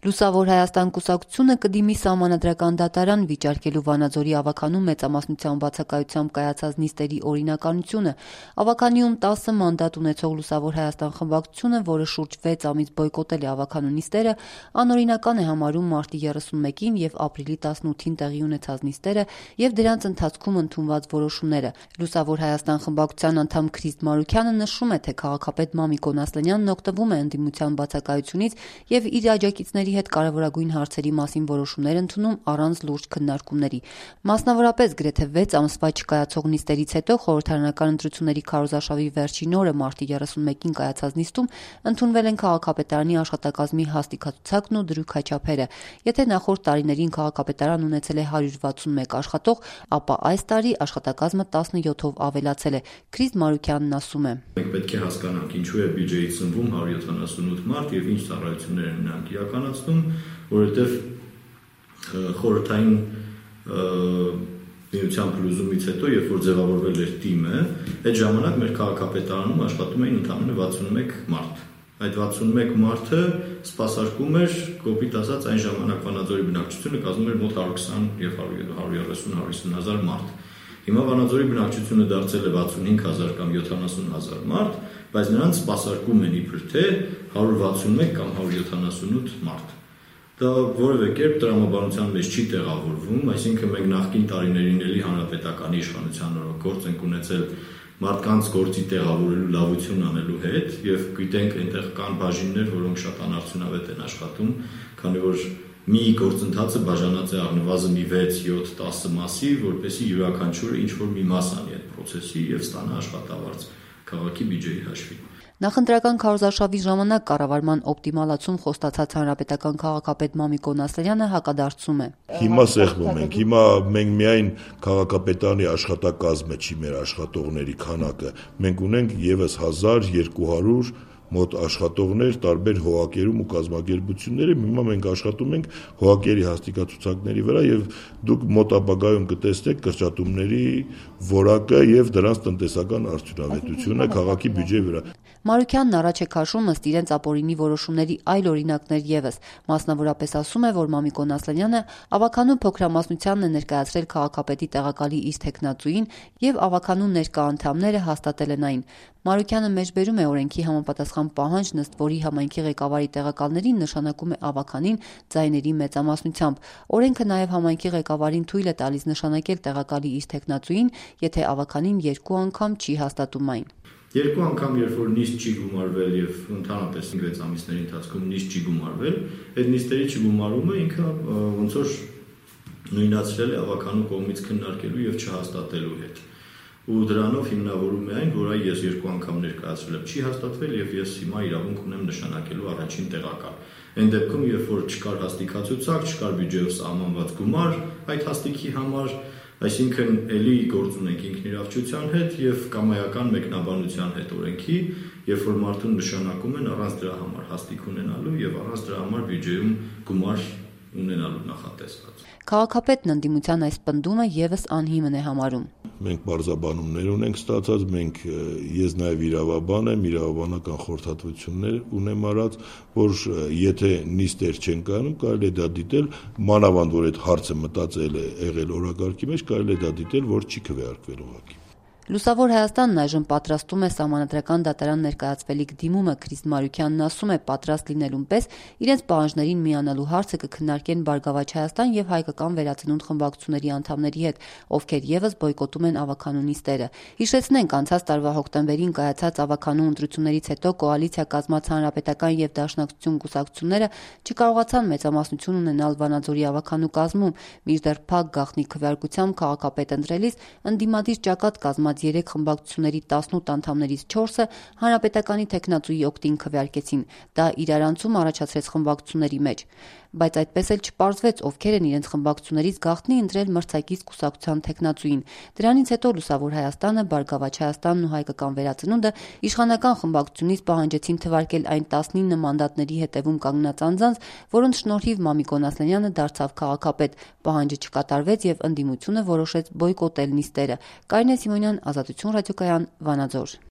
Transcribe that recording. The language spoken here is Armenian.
Լուսավոր Հայաստան կուսակցությունը կդիմի սահմանադրական դատարան վիճարկելու Վանաձորի ավագանու մեծամասնության բացակայությամբ կայացած նիստերի օրինականությունը։ Ավագանիում 10 մանդատ ունեցող Լուսավոր Հայաստան խմբակցությունը, որը շուրջ 6 ամիս բոյկոտել է ավագանու նիստերը, անօրինական է համարում մարտի 31-ին եւ ապրիլի 18-ին տեղի ունեցած նիստերը եւ դրանց ընթացքում ընդունված որոշումները։ Լուսավոր Հայաստան խմբակցության անդամ Քրիստ Մարուքյանը նշում է, թե քաղաքապետ Մամիկոն Ասլանյանն օգտվում է ընդդիմության բացակայությունից եւ իր աջակիցների հետ կարևորագույն հարցերի մասին որոշումներ ընդունում առանց լուրջ քննարկումների։ Մասնավորապես գրեթե 6 ամսվա չկայացող նիստերից հետո խորհրդարանական ընտրությունների քարոզարշավի վերջին օրը մարտի 31-ին կայացած նիստում ընդունվել են քաղաքապետարանի աշխատակազմի հաստիքացուցակն ու դրույքաչափերը։ Եթե նախորդ տարիներին քաղաքապետարան ունեցել է 161 աշխատող, ապա այս տարի աշխատակազմը 17-ով ավելացել է։ Քրիստ Մարուքյանն ասում է. Մենք պետք է հասկանանք ինչու է բյուջեից ծնվում 178 մարդ եւ ինչ ծառայություններ են նրանք իրականացնում, որովհետեւ խորհրդային միության փլուզումից հետո, երբ որ ձևավորվել էր թիմը, այդ ժամանակ մեր քաղաքապետարանում աշխատում էին ընդամենը 61 մարդ։ Այդ 61 մարդը սպասարկում էր, կոպիտ ասած, այն ժամանակ Վանաձորի բնակչությունը կազմում էր մոտ 120 եւ 130-150,000 մարդ։ Հիմա Վանաձորի բնակչությունը դարձել է 65,000 կամ 70,000 մարդ, բայց նրանց սպասարկում են իբր թե 161 կամ 178 մարդ։ Դա որևէ կերպ տրամաբանության մեջ չի տեղավորվում, այսինքն մենք նախկին տարիներին էլի հանրապետականի իշխանության օրոք գործ ենք ունեցել մարդկանց գործի տեղավորելու լավություն անելու հետ եւ գիտենք այնտեղ կան բաժիններ, որոնք շատ անարդյունավետ են աշխատում, քանի որ մի գործընթացը բաժանած է առնվազն 6, 7, 10 մասի, որպեսզի յուրաքանչյուրը ինչ-որ մի մաս անի այդ process-ի եւ ստանա աշխատավարձ քաղաքի բյուջեի հաշվին։ Նախընտրական քարոզարշավի ժամանակ կառավարման օպտիմալացում խոստացած հանրապետական քաղաքապետ Մամիկոն Ասլանյանը հակադարձում է. Հիմա սեղմում ենք, հիմա մենք միայն քաղաքապետարանի աշխատակազմը չի մեր աշխատողների քանակը, մենք ունենք եւս 1200 մոտ աշխատողներ տարբեր հողակերում ու կազմակերպություններում, հիմա մենք աշխատում ենք հողակերի հաստիքացուցակների վրա եւ դուք մոտ ապագայում կտեսնեք կրճատումների որակը եւ դրանց տնտեսական արդյունավետությունը քաղաքի բյուջեի վրա։ Մարուքյանն առաջ է քաշում ըստ իրենց ապօրինի որոշումների այլ օրինակներ եւս։ Մասնավորապես ասում է, որ Մամիկոն Ասլանյանը ավագանու փոքրամասնությանն է ներկայացրել քաղաքապետի տեղակալի իր տեխնացուին եւ ավագանու ներկա անդամները հաստատել են այն։ Մարուքյանը մեջբերում է օրենքի համապատասխան պահանջ, ըստ որի համայնքի ղեկավարի տեղակալներին նշանակում է ավագանին ձայների մեծամասնությամբ։ Օրենքը նաեւ համայնքի ղեկավարին թույլ է տալիս նշանակել տեղակալի իր տեխնացուին, եթե ավագանին 2 անգամ չի հաստատում այն։ 2 անգամ, երբ որ նիստ չի գումարվել եւ ընդհանրապես 6 ամիսների ընթացքում նիստ չի գումարվել, այդ նիստերի չգումարումը ինքը ոնց որ նույնացրել է ավագանու կողմից քննարկելու եւ չհաստատելու հետ։ Ու դրանով հիմնավորում է այն, որ ես 2 անգամ ներկայացրել եմ, չի հաստատվել եւ ես հիմա իրավունք ունեմ նշանակելու առաջին տեղակալ։ Այն դեպքում, երբ որ չկար հաստիքացուցակ, չկար բյուջեով սահմանված գումար այդ հաստիքի համար, այսինքն էլի գործ ունենք ինքնիրավչության հետ եւ կամայական մեկնաբանության հետ օրենքի, երբ որ մարդուն նշանակում են առանց դրա համար հաստիք ունենալու եւ առանց դրա համար բյուջեում գումար ունենալու նախատեսված։ Քաղաքապետն ընդդիմության այս պնդումը եւս անհիմն է համարում։ Մենք բարձաբանումներ ունենք ստացած, ես նաեւ իրավաբան եմ, իրավաբանական խորհրդատվություններ ունեմ արած, որ եթե նիստեր չեն կայանում, կարելի է դա դիտել, մանավանդ որ այդ հարցը մտածել է եղել օրակարգի մեջ, կարելի է դա դիտել, որ չի քվեարկվել ուղղակի։ Լուսավոր Հայաստանն այժմ պատրաստում է սահմանադրական դատարան ներկայացվելիք դիմումը։ Քրիստ Մարուքյանն ասում է, պատրաստ լինելուն պես իրենց պահանջներին միանալու հարցը կքննարկեն Բարգավաճ Հայաստան եւ Հայկական վերածնունդ խմբակցությունների անդամների հետ, ովքեր եւս բոյկոտում են ավագանու նիստերը։ Հիշեցնենք, անցած տարվա հոկտեմբերին կայացած ավագանու ընտրություններից հետո կոալիցիա կազմած Հանրապետական եւ Դաշնակցություն կուսակցությունները չկարողացան մեծամասնություն ունենալ Վանաձորի ավագանու կազմում, մինչդեռ փակ գաղտնի քվեարկությամբ քաղաքապետ ընտրելիս ընդդիմադիր ճակատ կազմած 3 խմբակցությունների 18 անդամներից 4-ը հանրապետականի տեխնացուի օգտին քվեարկեցին։ Դա իրարանցում առաջացրեց խմբակցությունների մեջ, բայց այդպես էլ չպարզվեց, ովքեր են իրենց խմբակցություններից գաղտնի ընտրել մրցակից կուսակցության տեխնացուին։ Դրանից հետո Լուսավոր Հայաստանը, Բարգավաճ Հայաստանն ու Հայկական վերածնունդը իշխանական խմբակցությունից պահանջեցին թվարկել այն 19 մանդատների հետևում կանգնած անձանց, որոնց շնորհիվ Մամիկոն Ասլանյանը դարձավ քաղաքապետ։ Պահանջը չկատարվեց եւ ընդդիմությունը որոշեց բոյկոտել նիստերը։ Կարինե Սիմոնյան, Ազատություն ռադիոկայան, Վանաձոր։